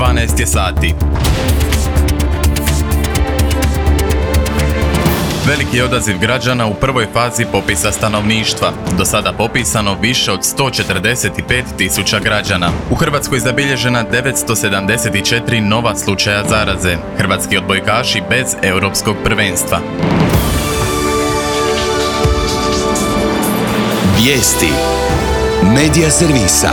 12 je sati. Veliki je odaziv građana u prvoj fazi popisa stanovništva. Do sada popisano više od 145.000 građana. U Hrvatskoj zabilježena 974 nova slučaja zaraze. Hrvatski odbojkaši bez europskog prvenstva. Vijesti Medija servisa.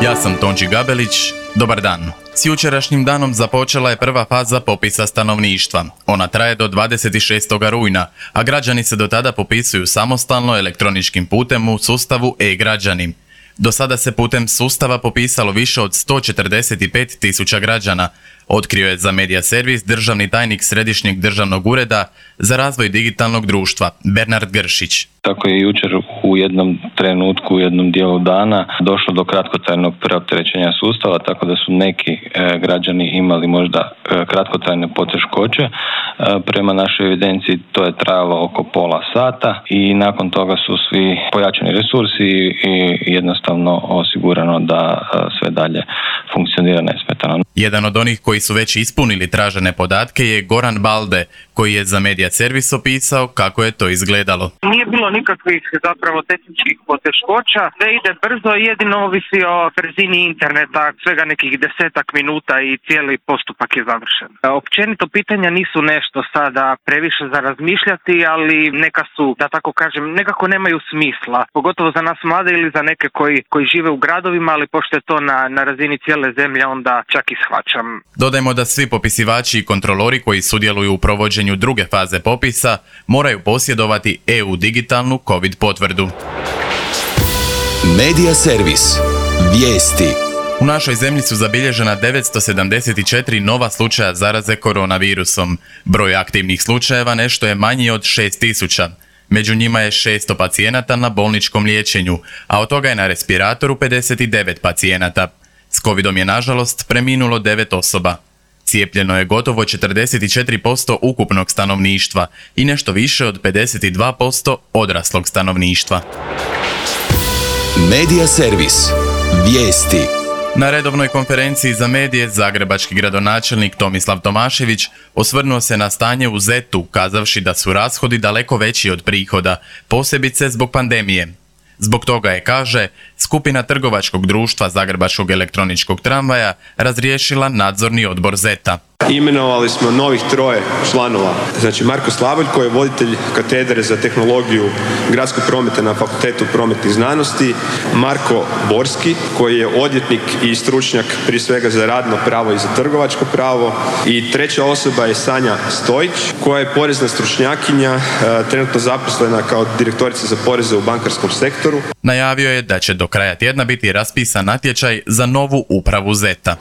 Ja sam Tonči Gabelić. Dobar dan. S jučerašnjim danom započela je prva faza popisa stanovništva. Ona traje do 26. rujna, a građani se do tada popisuju samostalno elektroničkim putem u sustavu e-građani. Do sada se putem sustava popisalo više od 145.000 građana, otkrio je za Medija servis državni tajnik Središnjeg državnog ureda za razvoj digitalnog društva, Bernard Gršić. Tako je jučer u jednom trenutku, u jednom dijelu dana došlo do kratkotrajnog preopterećenja sustava, tako da su neki građani imali možda kratkotrajne poteškoće. Prema našoj evidenciji to je trajalo oko pola sata i nakon toga su svi pojačani resursi i jednostavno osigurano da sve dalje funkcionira nesmetano. Jedan od onih koji su već ispunili tražene podatke je Goran Balde, koji je za Medija servis opisao kako je to izgledalo. Nije bilo nikakvih zapravo tehničkih poteškoća, da ide brzo, jedino ovisi o brzini interneta, svega nekih 10 minuta i cijeli postupak je završen. Općenito pitanja nisu nešto sada previše za razmišljati, ali neka su, da tako kažem, nekako nemaju smisla, pogotovo za nas mlade ili za neke koji žive u gradovima, ali pošto je to na razini cijele zemlje, onda čak i shvaćam. Dodajmo da svi popisivači i kontrolori koji sudjeluju u provođenju druge faze popisa moraju posjedovati EU digitalnu COVID potvrdu. Medija servis. Vijesti. U našoj zemlji su zabilježena 974 nova slučaja zaraze koronavirusom. Broj aktivnih slučajeva nešto je manji od 6.000. Među njima je 600 pacijenata na bolničkom liječenju, a od toga je na respiratoru 59 pacijenata. S covidom je nažalost preminulo 9 osoba. Cijepljeno je gotovo 44% ukupnog stanovništva i nešto više od 52% odraslog stanovništva. Medija servis. Vijesti. Na redovnoj konferenciji za medije zagrebački gradonačelnik Tomislav Tomašević osvrnuo se na stanje u ZET-u, kazavši da su rashodi daleko veći od prihoda, posebice zbog pandemije. Zbog toga je, kaže, skupina trgovačkog društva Zagrebačkog elektroničkog tramvaja razriješila nadzorni odbor ZET-a. Imenovali smo novih 3 članova. Znači Marko Slavolj koji je voditelj katedre za tehnologiju gradskog prometa na Fakultetu prometnih znanosti, Marko Borski koji je odvjetnik i stručnjak prije svega za radno pravo i za trgovačko pravo i 3. osoba je Sanja Stojić koja je porezna stručnjakinja, trenutno zaposlena kao direktorica za poreze u bankarskom sektoru. Najavio je da će do kraja tjedna biti raspisan natječaj za novu upravu ZET-a.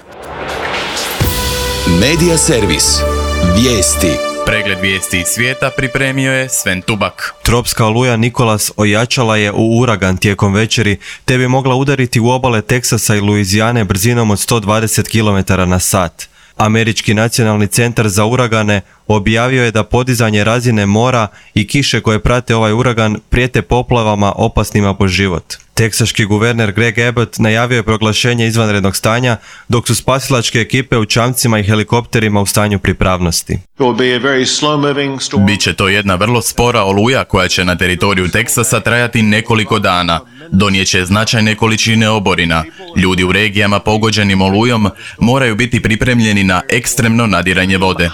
Medija servis. Vijesti. Pregled vijesti iz svijeta pripremio je Sven Tubak. Tropska oluja Nikolas ojačala je u uragan tijekom večeri, te bi mogla udariti u obale Teksasa i Luizijane brzinom od 120 km/h. Američki nacionalni centar za uragane objavio je da podizanje razine mora i kiše koje prate ovaj uragan prijete poplavama opasnima po život. Teksaški guverner Greg Abbott najavio je proglašenje izvanrednog stanja, dok su spasilačke ekipe u čamcima i helikopterima u stanju pripravnosti. Biće to jedna vrlo spora oluja koja će na teritoriju Teksasa trajati nekoliko dana. Donijeće značajne količine oborina. Ljudi u regijama pogođenim olujom moraju biti pripremljeni na ekstremno nadiranje vode.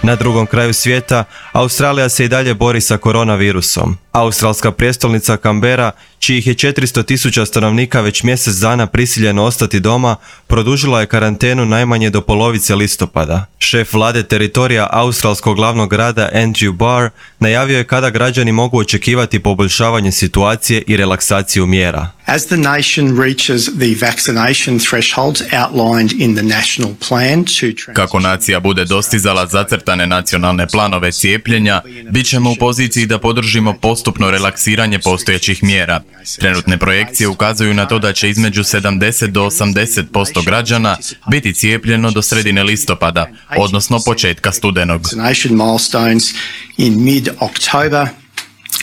Na drugom kraju svijeta, Australija se i dalje bori sa koronavirusom. Australska prijestolnica Canberra, čijih je 400.000 stanovnika već mjesec dana prisiljeno ostati doma, produžila je karantenu najmanje do polovice listopada. Šef vlade teritorija australskog glavnog grada Andrew Barr najavio je kada građani mogu očekivati poboljšavanje situacije i relaksaciju mjera. As the nation reaches the vaccination thresholds outlined in the national plan to Kako nacija bude dostizala zacrtane nacionalne planove cijepljenja, bit ćemo u poziciji da podržimo postupno relaksiranje postojećih mjera. Trenutne projekcije ukazuju na to da će između 70 do 80% građana biti cijepljeno do sredine listopada, odnosno početka studenog. in mid-October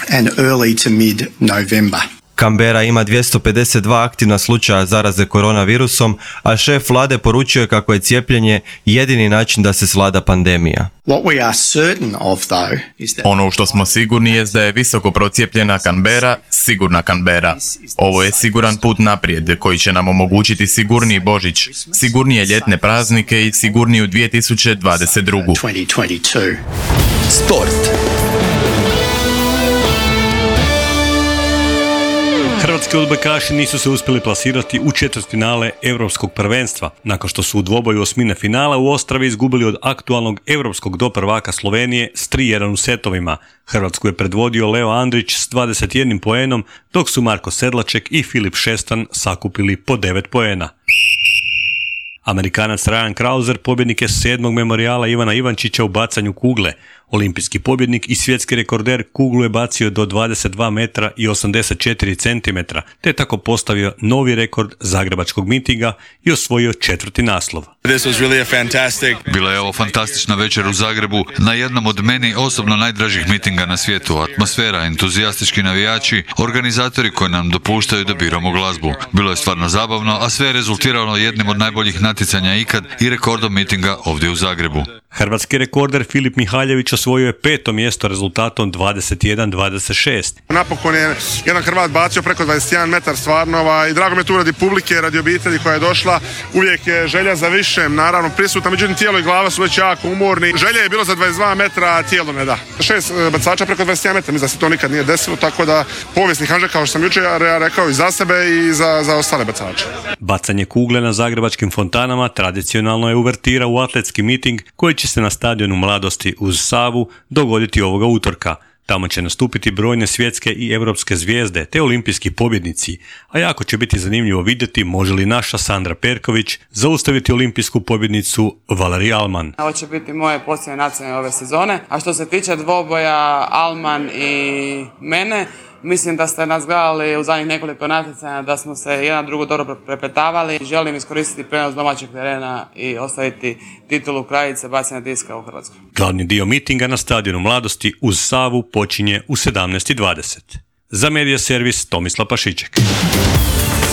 and early to mid-November. Canberra ima 252 aktivna slučaja zaraze koronavirusom, a šef vlade poručuje kako je cijepljenje jedini način da se svlada pandemija. What we are certain of, though, is that Ono u što smo sigurni je da je visoko procijepljena Canberra sigurna Canberra. Ovo je siguran put naprijed koji će nam omogućiti sigurniji Božić, sigurnije ljetne praznike i sigurniju 2022. 2022. Sport. Hrvatski odbojkaši nisu se uspjeli plasirati u četvrtfinale Europskog prvenstva, nakon što su u dvoboju osmine finala u Ostravi izgubili od aktualnog europskog doprvaka Slovenije s 3-1 u setovima. Hrvatsku je predvodio Leo Andrić s 21 poenom, dok su Marko Sedlaček i Filip Šestan sakupili po 9 poena. Amerikanac Ryan Krauser pobjednik je 7. memorijala Ivana Ivančića u bacanju kugle. Olimpijski pobjednik i svjetski rekorder kuglu je bacio do 22 metra i 84 centimetra, te tako postavio novi rekord zagrebačkog mitinga i osvojio 4. naslov. Bila je ovo fantastična večer u Zagrebu, na jednom od meni osobno najdražih mitinga na svijetu. Atmosfera, entuzijastički navijači, organizatori koji nam dopuštaju da biramo glazbu. Bilo je stvarno zabavno, a sve je rezultiralo jednim od najboljih natjecanja ikad i rekordom mitinga ovdje u Zagrebu. Hrvatski rekorder Filip Mihaljević osvojio je 5. mjesto rezultatom 21-26. Napokon je jedan Hrvat bacio preko 21 metar stvarno i drago mi je tu radi publike, radi obitelji koja je došla. Uvijek je želja za višem, naravno prisutna, međutim tijelo i glava su već jako umorni. Želja je bilo za 22 metra, a tijelo ne da. 6 bacača preko 21 metra, mislim da se to nikad nije desilo, tako da povijesni hanžak, kao što sam jučer rekao, i za sebe i za ostale bacače. Bacanje kugle na zagrebačkim fontanama tradicionalno je uvertira u atletski miting koji će se na stadionu Mladosti uz Savu dogoditi ovoga utorka. Tamo će nastupiti brojne svjetske i europske zvijezde te olimpijski pobjednici, a jako će biti zanimljivo vidjeti može li naša Sandra Perković zaustaviti olimpijsku pobjednicu Valerij Alman. Ovo će biti moje posljednje natjecanje ove sezone, a što se tiče dvoboja Alman i mene, mislim da ste nas gledali u zadnjih nekoliko natjecanja, da smo se jedan drugo dobro prepetavali. Želim iskoristiti prenos domaćeg terena i ostaviti titulu kraljice bacanja diska u Hrvatskoj. Glavni dio mitinga na stadionu Mladosti uz Savu počinje u 17:20. Za Medija servis Tomislav Pašiček.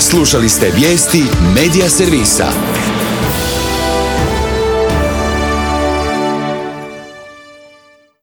Slušali ste vijesti Medija servisa.